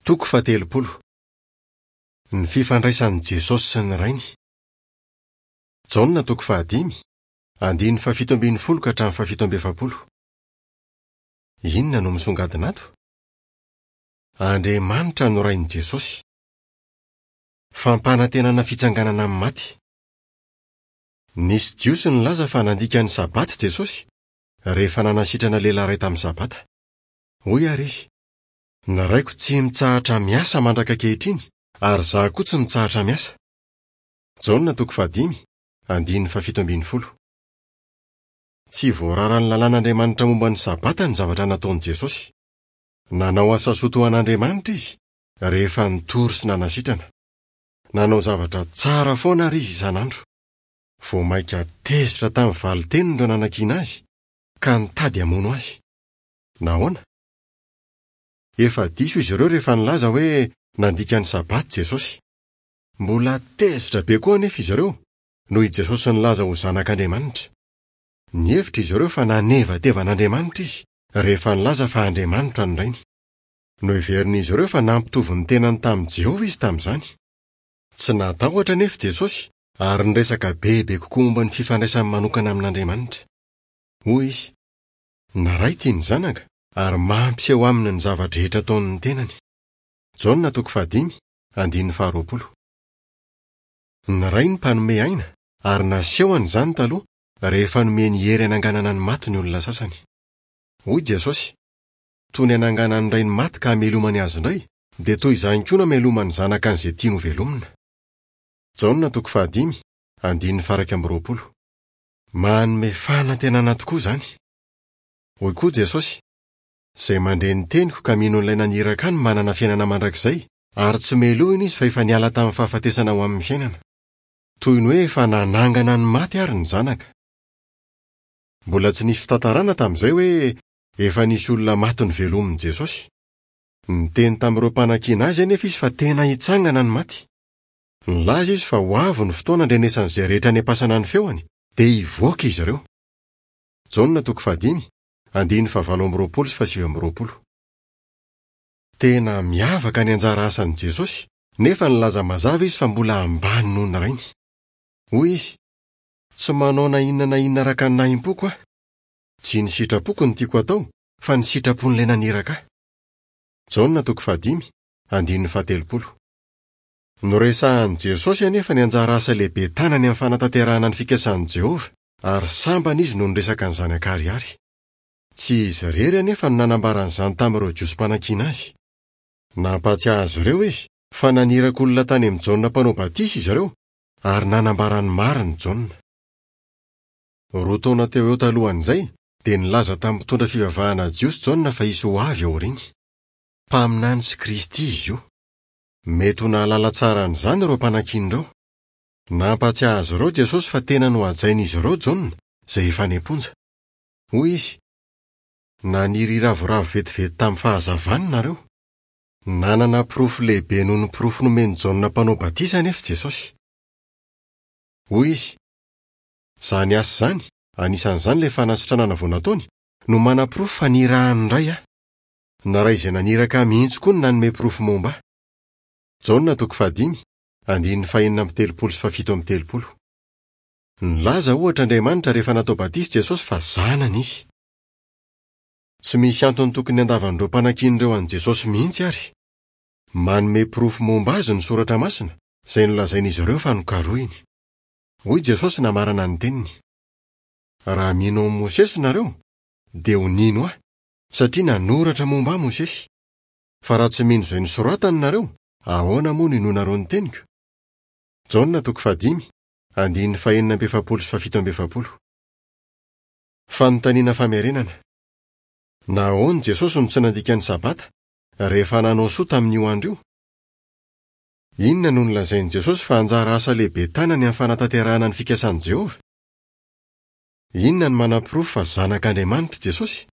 Toko faha-30. Ny fifandraisan'i Jesosy sy ny Rainy. Jaona toko fahadimy, andininy faha-17 ka hatramin'ny faha-47. Inona no misongadina ato? Andriamanitra no Rain'i Jesosy. Fampanantenana fitsanganana amin'ny maty. Nisy Jiosy nilaza fa nandika ny Sabata Jesosy, rehefa nanasitrana lehilahy iray tamin'ny Sabata. Hoy àry izy, Ny Raiko tsy mitsahatra miasa mandraka ankehitriny, ary izaho koa tsy mitsahatra miasa. Jaona toko fahadimy, andininy faha-17. Tsy voararan'ny lalàn'Andriamanitra momba ny Sabata ny zavatra nataon'i Jesosy. Nanao asa soa toa an'Andriamanitra izy, rehefa nitory sy nanasitrana. Nanao zavatra tsara foana àry izy isan'andro. Vao mainka tezitra tamin'ny valin-teniny ireo nanakiana azy, ka nitady hamono azy. Nahoana? Efa diso izy ireo rehefa nilaza hoe nandika ny Sabata Jesosy. Mbola tezitra be koa anefa izy ireo noho i Jesosy nilaza ho Zanak'Andriamanitra. Nihevitra izy ireo fa nanevateva an'Andriamanitra izy rehefa nilaza fa Andriamanitra ny Rainy. Noheverin'izy ireo fa nampitovy ny tenany tamin'i Jehovah izy tamin'izany. Tsy natahotra anefa Jesosy ary niresaka bebe kokoa momba ny fifandraisany manokana amin'Andriamanitra. Hoy izy, Ny Ray tia ny Zanaka ary mampiseho aminy ny zava-drehetra ataon'ny tenany. Jaona toko fahadimy, andininy faharoapolo. Ny Ray no mpanome aina ary nasehony izany taloha rehefa nomeny hery hananganana ny maty ny olona sasany. Hoy Jesosy, Toy ny ananganan'ny Ray ny maty ka hamelomany azy indray, dia toy izany koa no hameloman'ny Zanaka an'izay tiany hovelomina. Jaona toko fahadimy, andininy faha-21. Manome fanantenana tokoa izany! Hoy koa Jesosy, Izay mandre ny teniko ka mino an'ilay naniraka ahy no manana fiainana mandrakizay, ary tsy melohina izy fa efa niala tamin'ny fahafatesana ho amin'ny fiainana. Toy ny hoe efa nanangana ny maty àry ny Zanaka. Mbola tsy nisy fitantarana tamin'izay hoe efa nisy olona maty novelomin'i Jesosy. Niteny tamin'ireo mpanakiana azy anefa izy fa tena hitsangana ny maty. Nilaza izy fa ho avy ny fotoana handrenesan'izay rehetra any am-pasana ny feony, dia hivoaka izy ireo. Jaona toko fahadimy, andininy fahavalo amby roapolo sy fahasivy amby roapolo. Tena miavaka ny anjara asan'i Jesosy, nefa nilaza mazava izy fa mbola ambany noho ny Rainy. Hoy izy, Tsy manao na inona na inona araka ny nahim-poko aho. Tsy ny sitrapoko no tiako hatao, fa ny sitrapon'ilay naniraka ahy. Jaona toko fahadimy, andininy fahatelopolo. Noresahin'i Jesosy anefa ny anjara asa lehibe tanany amin'ny fanatanterahana ny fikasan'i Jehovah, ary sambany izy no niresaka an'izany an-karihary. Tsy izy irery anefa no nanambara an'izany tamin'ireo Jiosy mpanakiana azy. Nampahatsiahy azy ireo izy fa naniraka olona tany amin'i Jaona Mpanao Batisa izy ireo, ary nanambara ny marina i Jaona. Roa taona teo ho eo talohan'izay, dia nilaza tamin'ny mpitondra fivavahana jiosy Jaona fa hisy ho avy aoriany. Mpaminany sy Kristy izy io. Mety ho nahalala tsara an'izany ireo mpanakiana ireo. Nampahatsiahy azy ireo Jesosy fa tena nohajain'izy ireo Jaona, izay efa any am-ponja. Hoy izy, Naniry hiravoravo vetivety tamin'ny fahazavany nareo. Nanana porofo lehibe noho ny porofo nomen'i Jaona Mpanao Batisa anefa Jesosy. Hoy izy, Izany asa izany, anisan'izany ilay fanasitranana vao nataony, no manaporofo fa nirahin'ny Ray aho. Ny Ray izay naniraka ahy mihitsy koa no nanome porofo momba ahy. Jaona toko fahadimy, andininy fahenina amby telopolo sy fahafito amby telopolo. Nilaza, ohatra, Andriamanitra rehefa natao batisa Jesosy fa Zanany izy. Tsy misy antony tokony handavan'ireo mpanakiana ireo an'i Jesosy mihitsy àry. Manome porofo momba azy ny Soratra Masina, izay nolazain'izy ireo fa nokarohiny. Hoy Jesosy namarana ny teniny, Raha mino an'i Mosesy nareo, dia ho nino ahy, satria nanoratra momba ahy Mosesy. Fa raha tsy mino izay nosoratany nareo, ahoana moa no inoanareo ny teniko? Jaona toko fahadimy, andininy fahenina amby efapolo sy fahafito amby efapolo. Fanontaniana famerenana. Nahoana Jesosy no tsy nandika ny Sabata, rehefa nanao soa tamin'io andro io? Inona no nolazain'i Jesosy fa anjara asa lehibe tanany amin'ny fanatanterahana ny fikasan'i Jehovah? Inona no manaporofo fa Zanak'Andriamanitra i Jesosy?